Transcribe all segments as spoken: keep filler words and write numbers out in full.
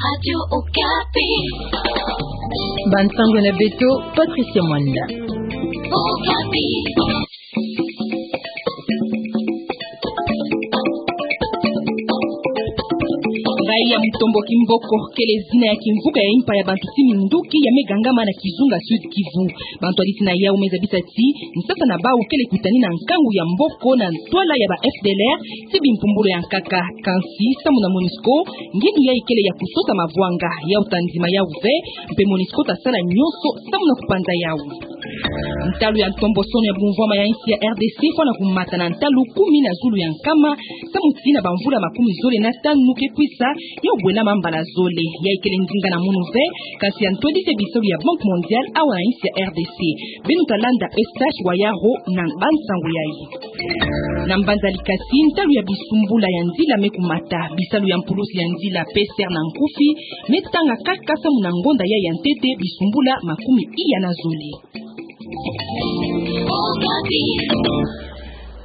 Radio Okapi. Bansango na beto, Patricia Mwanda. Okapi. Raï ya Mutombo Kimboko kele zina ya kimvuka ya impa ya bantu ti minduki ya me gangama na kizunga Sud Kivu. Bantu ya diti na yau me zabisa ti nsasa na bau kele kutani na nkangu ya mboko na ntwala ya ba F D L R ti bimpumbulu ya nkaka. Kansi, samu na MONUSCO, ngindu yayi kele ya kusosa mavwanga, yau ta ndima yau ve, mpe MONUSCO ta sala nyonso samu na kupanza yau. Ntalu ya ntombosono ya bumvwama ya insi ya R D C fwana kumata na ntalu kumi na zulu ya nkama, samu ti na bamvula makumi zole na tanu ke kwisa, yau bwena mambala zole. Yayi kele ndinga na munu ve, kansi ya ntwedise bisalu ya Banque Mondiale awa na insi ya R D C. Beno ta landa Eustache Wayaro na bansango yayi. Na mbanza likasi, ntalu ya bisumbula ya nzila me kumata, bisalu ya mpulusi ya nzila, P S R na nkufi, me tanga kaka samu na ngonda yayi ya ntete bisumbula makumi iya na zole.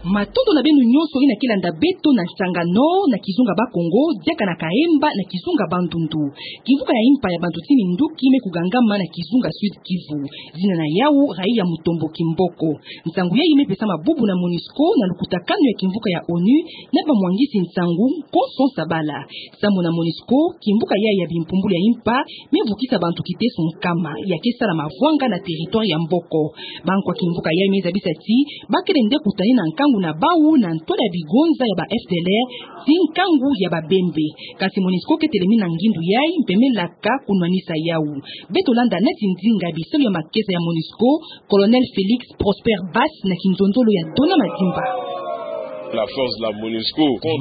Matondo na beno nyonso yina ke landa beto na Sangano, na kizunga Bakongo, diaka na Kaemba, na kizunga Bandundu. Kimvuka ya impa ya bantu ti minduki me kugangama na kizunga Sud Kivu. Zina na yau, raï ya Mutombo Kimboko. Nsangu yayi me pesama bubu na MONUSCO na lukutakanu ya kimvuka ya ONU na bamwangisi nsangu Konso Sabala. Samu na MONUSCO, kimvuka yayi ya bimpumbulu ya impa me vukisa bantu kiteso nkama ya ke sala mavwanga na territoire ya mboko. Bankwa kimvuka yayi me zabisa ti ba kele nde kutani na nkangu na bau na ntwala ya bigonza ya ba F D L R ti nkangu ya Babembe. Kansi MONUSCO ke telemina ngindu yayi mpe me laka kunwanisa yau. Beto landa neti ndinga bisalu ya makesa ya MONUSCO, Colonel Félix Prosper Bass na kinzonzolo ya Dona Madimba.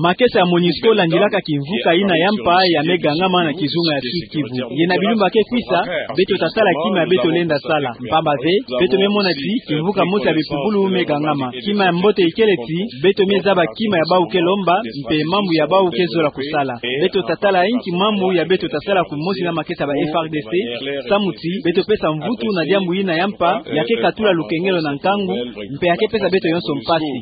Makesa ya MONUSCO landilaka kimvuka yina ya mpa ya me gangama na kizunga ya Sud Kivu. Ye na bilumbu ke kwisa, beto ta sala kima ya beto lenda sala. Mpamba ve, beto me mona ti kimvuka mosi ya bimpumbulu me gangama. Kima ya mbote ikele ti beto me zaba kima ya bau ke lomba, mpe mambu ya bau ke zola kusala. Beto ta tala inki mambu ya beto ta sala kumosi na makesa ya ba F A R D C, samu ti beto pesa mvutu na diambu yina ya mpa ya ke katula lukengelo na nkangu, mpe ya ke pesa beto nyonso mpasi.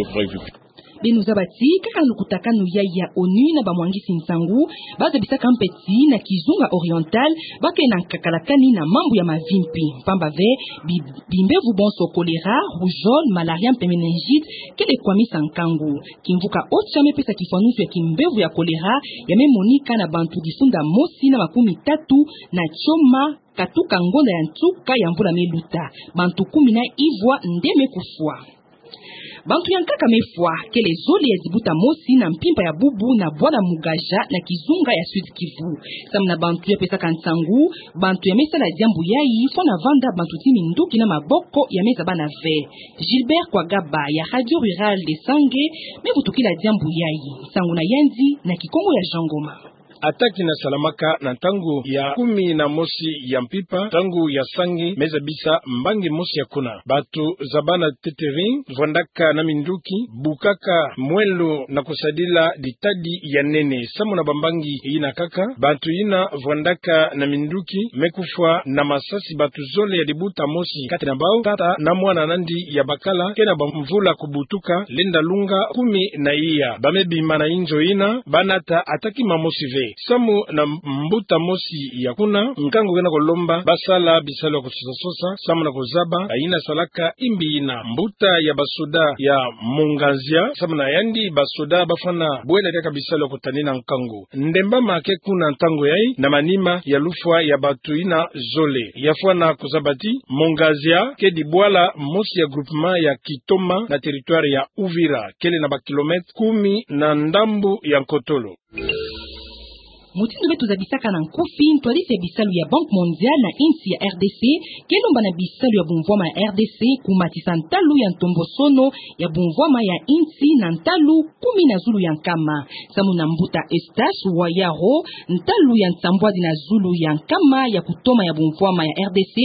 Beno zaba ti kaka na lukutakanu yayi ya ONU na bamwangisi nsangu, ba zabisaka mpe ti na kizunga Oriental ba kele na nkakalakani na mambu ya mavimpi. Mpamba ve, bi- bimbevu bonso choléra, rougeole, malaria mpe méningite kele kwamisa nkangu. Kimvuka Ocha me pesa kifwanusu ya kimbevu ya choléra ya me monika na bantu difunda mosi na makumi tatu na tioma katuka ngonda ya nsuka ya mvula me luta. Bantu kumi na ivwa nde me kufwa. Bantu ya nkaka me fwa, kele zole ya dibuta mosi na mpimpa ya bubu na bwala Mugaja na kizunga ya Sud Kivu. Samu na bantu ya pesaka nsangu, bantu ya me sala diambu yayi fwana vanda bantu ti minduki na maboko ya me zabana ve. Gilbert Kwagaba ya Radio Rurale de Sangé me vutukila diambu yayi. Nsangu na yandi na Kikongo ya Jean Ngoma. Attaque yina salamaka na ntangu ya kumi na mosi ya mpimpa, ntangu ya Sangé, me zabisa mbangi mosi ya kuna. Bantu zabana teteri, vwandaka na minduki, bukaka mwelo na kusadila ditadi ya nene. Samu na bambangi yina kaka, bantu yina vwandaka na minduki me kufwa na masasi. Bantu zole ya dibuta mosi kati na bau, tata na mwana nandi ya bakala, ke na bamvula kubutuka, lenda lunga kumi na iya. Ba me bima na inzo yina, ba nata attaque mamosi ve. Samu na mbuta mosi ya kuna, nkangu ke na kulomba ba sala bisalu ya kusosa-sosa, samu na kuzaba yina salaka imbi yina. Mbuta ya basoda ya Mongazia, samu na yandi basoda ba fwana bwela diaka bisalu ya kutanina nkangu. Ndembama ke kuna ntangu yayi na manima ya lufwa ya bantu yina zole. Ya fwana kuzaba ti Mongazia kedi bwala mosi ya groupement ya Kitoma na territoire ya Uvira, kele na ba kilomètres kumi na ndambu ya nkotolo. Mutindu beto zabisaka na nkufi, ntwadisi ya bisalu ya Banque Mondiale na insi ya R D C ke lomba na bisalu ya bumvwama ya R D C kumatisa ntalu ya ntombosono ya bumvwama ya insi na ntalu kumi na zulu ya nkama. Samu na mbuta Eustache Wayaro, ntalu ya nsambwadi na zulu ya nkama ya kutoma ya bumvwama ya R D C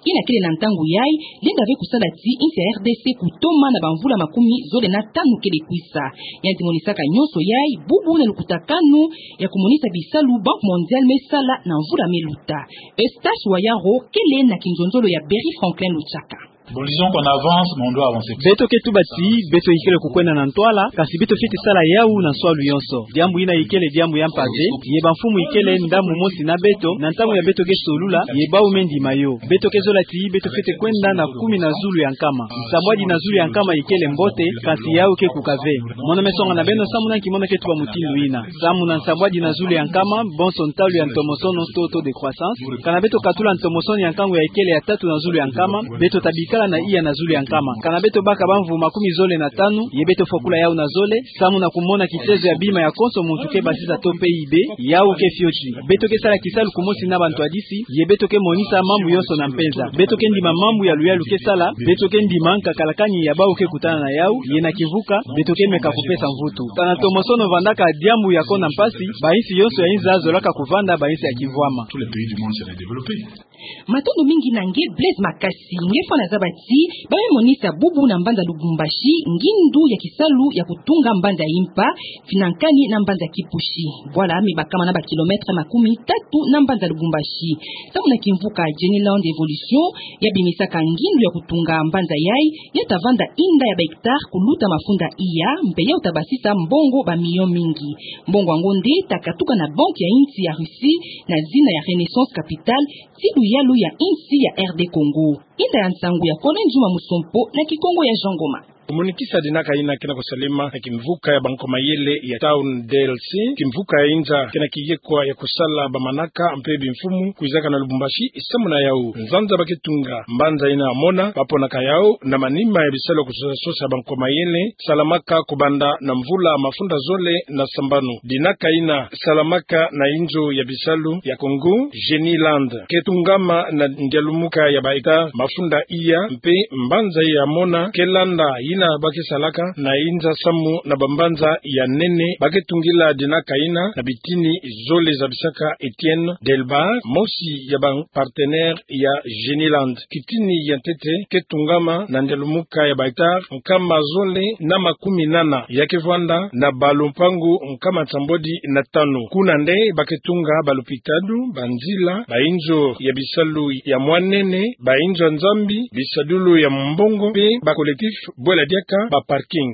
yina kele na ntangu yayi lenda ve kusala ti insi ya R D C kutoma na bamvula makumi zole na tanu kele kwisa. Yandi monisaka nyonso yayi bubu na lukutakanu ya kumonisa bisalu Banque Mondiale me sala na mvula me luta. Eustache Wayaro kele na kinzonzolo ya Berry Franklin Luchaka. Bon, disons qu'on avance, mais on doit avancer. Beto ke tuba ti beto ikele kukwenda na ntwala, kasi beto fwete sala yawu na nswalu yonso. Diambu yina ikele diambu ya mpeve, ye bamfumu ikele ndambu mosi na beto, na ntangu ya beto ke solula, ye bawu me ndima yo. Beto ke zola ti beto fwete kwenda na kumi na zulu ya nkama. Nsambwadi na zulu ya nkama ikele mbote, kasi yawu ke kuka ve. Mono me songa na beno samu na nki mono ke tuba mutindu yina. Samu na nsambwadi na zulu ya nkama, bonso ntalu ya ntomosono to taux de croissance. Kana beto katula ntomosono ya nkangu ya ikele ya tatu na zulu ya nkama, beto ta bikala na iya na zulu ya nkama. Kana beto baka bamvu makumi zole na tanu, ye beto fokula yawu na zole, samu na kumona kitezo ya bima ya konso muntu ke basisa to P I B, yawu ke fioti. Beto ke sala kisalu kumosi na bantwadisi, ye beto ke monisa mambu yonso na mpenza. Beto ke ndima mambu ya luyalu ke sala, beto ke ndima nkakalakani ya bawu ke kutana na yawu, ye na kimvuka, beto ke meka kupesa mvutu. Kana ntomosono vandaka diambu ya kona mpasi, bayinsi yonso ya inza zolaka kuvanda bayinsi ya kimvwama. Tous les pays du monde seraient développés. Matondo mingi na nge Blaise Makasi, nge fwana zaba ti, ba me monisa bubu na mbanza Lubumbashi, ngindu ya kisalu ya kutunga mbanza ya impa, finankani na mbanza Kipushi. Bwala me bakama na ba kilomètre makumi tatu na mbanza Lubumbashi. Samu na kimvuka Geniland Evolution, ya bimisaka ngindu ya kutunga mbanza yayi, ya ta vanda inda ya ba hectare kuluta mafunda iya, mpe ya ta basisa mbongo ba million mingi. Mbongo yango nde ta katuka na banque ya insi ya Russie, na zina ya Renaissance Capital, ti luyalu ya insi ya R D Congo. Inda ya nsangu ya Colin Juma Musompo na Kikongo ya Jean Ngoma. Komonikisa dinaka yina ke na kusalema na kimvuka ya bankomayele ya Town D L C, kimvuka ya inza ke na kiyekwa ya kusala bamanaka mpe bimfumu kwizaka na Lubumbashi. Samu na yawu, nzanza ba ke tunga mbanza yina ya mona, ba ponaka yawu na manima ya bisalu ya kusosa sosa bankomayele, salamaka kubanda na mvula mafunda zole na sambanu. Dinaka yina salamaka na inzo ya bisalu ya Congo, Geniland, ke tungama na ndialumuka ya ba hectare mafunda iya, mpe mbanza ya mona ke landa yina ba ke salaka na inza samu na bambanza ya nene ba ke tungila dinaka yina na bitini zole, zabisaka Etienne Delbar, mosi ya ba partenaire ya Geniland. Kitini ya ntete ke tungama na ndialumuka ya ba hectare nkama zole na makumi nana, ya ke vwanda na ba lumpangu nkama nsambwadi na tanu. Kuna nde ba ke tunga ba lupitalu, ba nzila, ba inzo ya bisalu ya mwanene, ba inzo ya Nzambi, bisadulu ya mbongo, mpe ba collectif bwela diaka ba parking.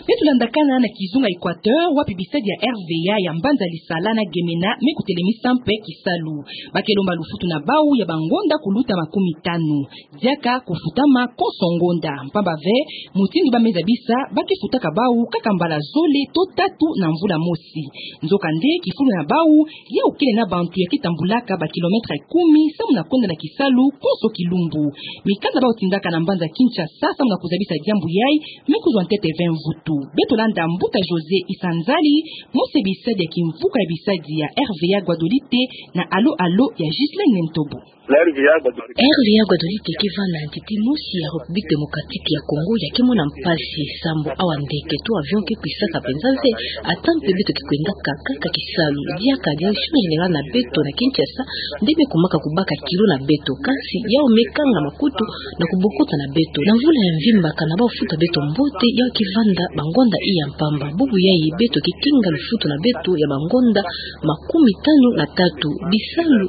Beto landakana na kizunga Equateur, wapi bisadi ya R V A ya mbanza Lisala na Gemena me kutelemisa mpe kisalu. Ba ke lomba lufutu na bawu ya bangonda kuluta makumi tanu. Diaka kufutama konso ngonda. Mpamba ve, mutindu ba me zabisa, ba ke futaka bawu kaka mbala zole to tatu na mvula mosi. Nzokande, kifulu na bawu, yawu kele na bantu ya ke tambulaka ba kilomètre kumi, samu na kwenda na kisalu konso kilumbu. Mikanda ba tindaka na mbanza Kinshasa, samu na kuzabisa diambu yayi, me kuzwa ntete ve mvutu. Beto landa mbuta José Isanzali, mosi ya bisadi ya kimvuka ya bisadi ya R V A Guadolite, na Allô Allô ya Ghislaine Ntobo. R V A Guadolite ke vanda ntete mosi ya République Démocratique ya Congo ya ke mona mpasi sambu awa ndeke to avion ke kwisaka penza ve, ata mpe beto ke kwendaka kaka kisalu. Diaka direction générale na beto na Kinshasa nde me kumaka kubaka kilo na beto, kansi yawu me kanga makutu na kubokota na beto. Na mvula ya mvimba, kana bawu futa beto mbote, yawu ke vanda bangonda iya mpamba. Bubu yayi beto ke kinga lufutu na beto ya bangonda makumi tanu na tatu. Bisalu,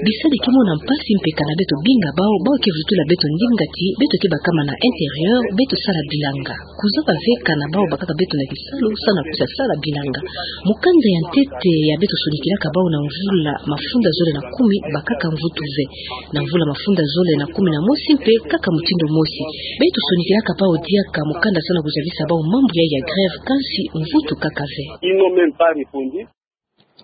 bisadi ke mona mpasi mpe kana beto binga bawu, bawu ke vutula beto ndinga ti beto ke bakama na intérieur, beto sala bilanga. Kuzaba ve kana bawu bakaka beto na kisalu, samu na kwisa sala bilanga. Mukanda ya ntete ya beto sonikilaka bawu na mvula mafunda zole na kumi, bakaka mvutu ve. Na mvula mafunda zole na kumi na mosi mpe kaka mutindu mosi. Beto sonikilaka bawu diaka mukanda samu na kuzabisa bawu mambu yayi ya grève, kansi mvutu kaka ve. Ils n'ont même pas répondu.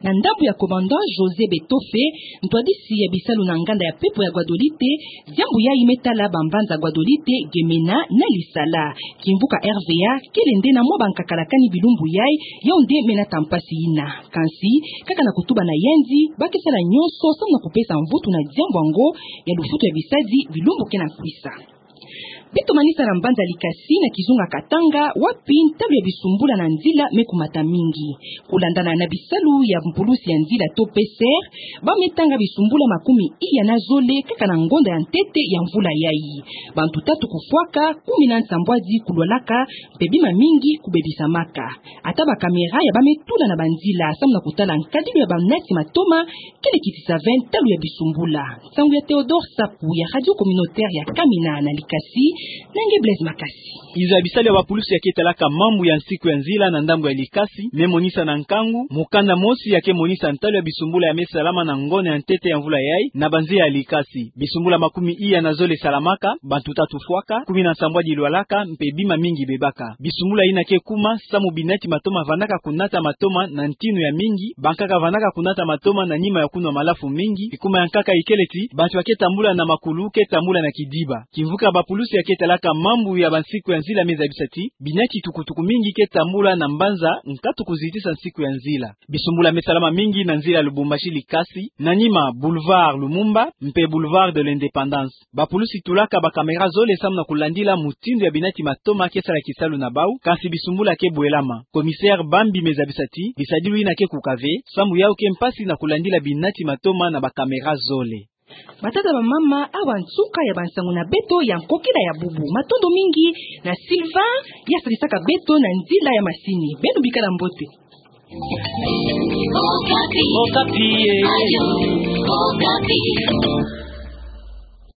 Na ndambu ya commandant José Betofe, ntwadisi ya bisalu na nganda ya pepo ya Guadolite, diambu yayi me tala bambanza Guadolite, Gemena na Lisala. Kimvuka R V A kele nde na mwa bankakalakani bilumbu yayi, yawu nde me nata mpasi yina. Kansi, kaka na kutuba na yandi, ba ke sala nyonso samu na kupesa mvutu na diambu yango ya lufutu ya bisadi bilumbu ke na kwisa. Beto manisa na mbanza Likasi na kizunga Katanga, wapi ntalu ya bisumbula na nzila me kumata mingi. Kulandana na bisalu ya mpulusi ya nzila to P C R, ba me tanga bisumbula makumi iya na zole kaka na ngonda ya ntete ya mvula yayi. Bantu tatu kufwaka, kumi na nsambwadi kulwalaka, mpe bima mingi kubebisamaka. Ata ba caméra ya ba me tula na banzila samu na kutala nkadilu ya banati matoma, kele kitisa ve ntalu ya bisumbula. Nsangu ya Théodore Sapu ya Radio Communautaire ya Kamina na Likasi, na nge Blaise Makasi. Inzo ya bisalu ya bapulusi ya ke talaka mambu ya nsiku ya nzila na ndambu ya Likasi me monisa na nkangu mukanda mosi ya ke monisa ntalu ya bisumbula ya me salama na ngonda ya ntete ya mvula yayi na banzila ya Likasi. Bisumbula makumi iya na zole salamaka, bantu tatu fwaka, kumi na nsambwadi lwalaka, mpe bima mingi bebaka. Bisumbula yina ke kuma samu binati matoma vandaka kunata matoma na ntinu ya mingi, bankaka vandaka kunata matoma na nima ya kunwa malafu mingi. Ikuma ya nkaka ikele ti bantu ya ke tambula na makulu ke tambula na kidiba. Kimvuka bapulusi ya ke talaka mambu ya bansiku ya nzila me zabisa ti binati tukutuku mingi ke tambula na mbanza nkatu kuzitisa nsiku ya nzila. Bisumbula me salama mingi na nzila Lubumbashi Likasi, na nima Boulevard Lumumba mpe Boulevard de l'Indépendance. Bapulusi tulaka ba caméra zole samu na kulandila mutindu ya binati matoma ke sala kisalu na bau, kansi bisumbula ke bwelama. Commissaire Bambi me zabisa ti bisadilu yina ke kuka ve, samu yau ke mpasi na kulandila binati matoma na ba caméra zole. Batata, bamama, awa nsuka ya bansangu na beto ya nkokila ya bubu. Matondo mingi na Sylvain, ya sadisaka beto na nzila ya masini. Beno bikala mbote. Okapi, eh.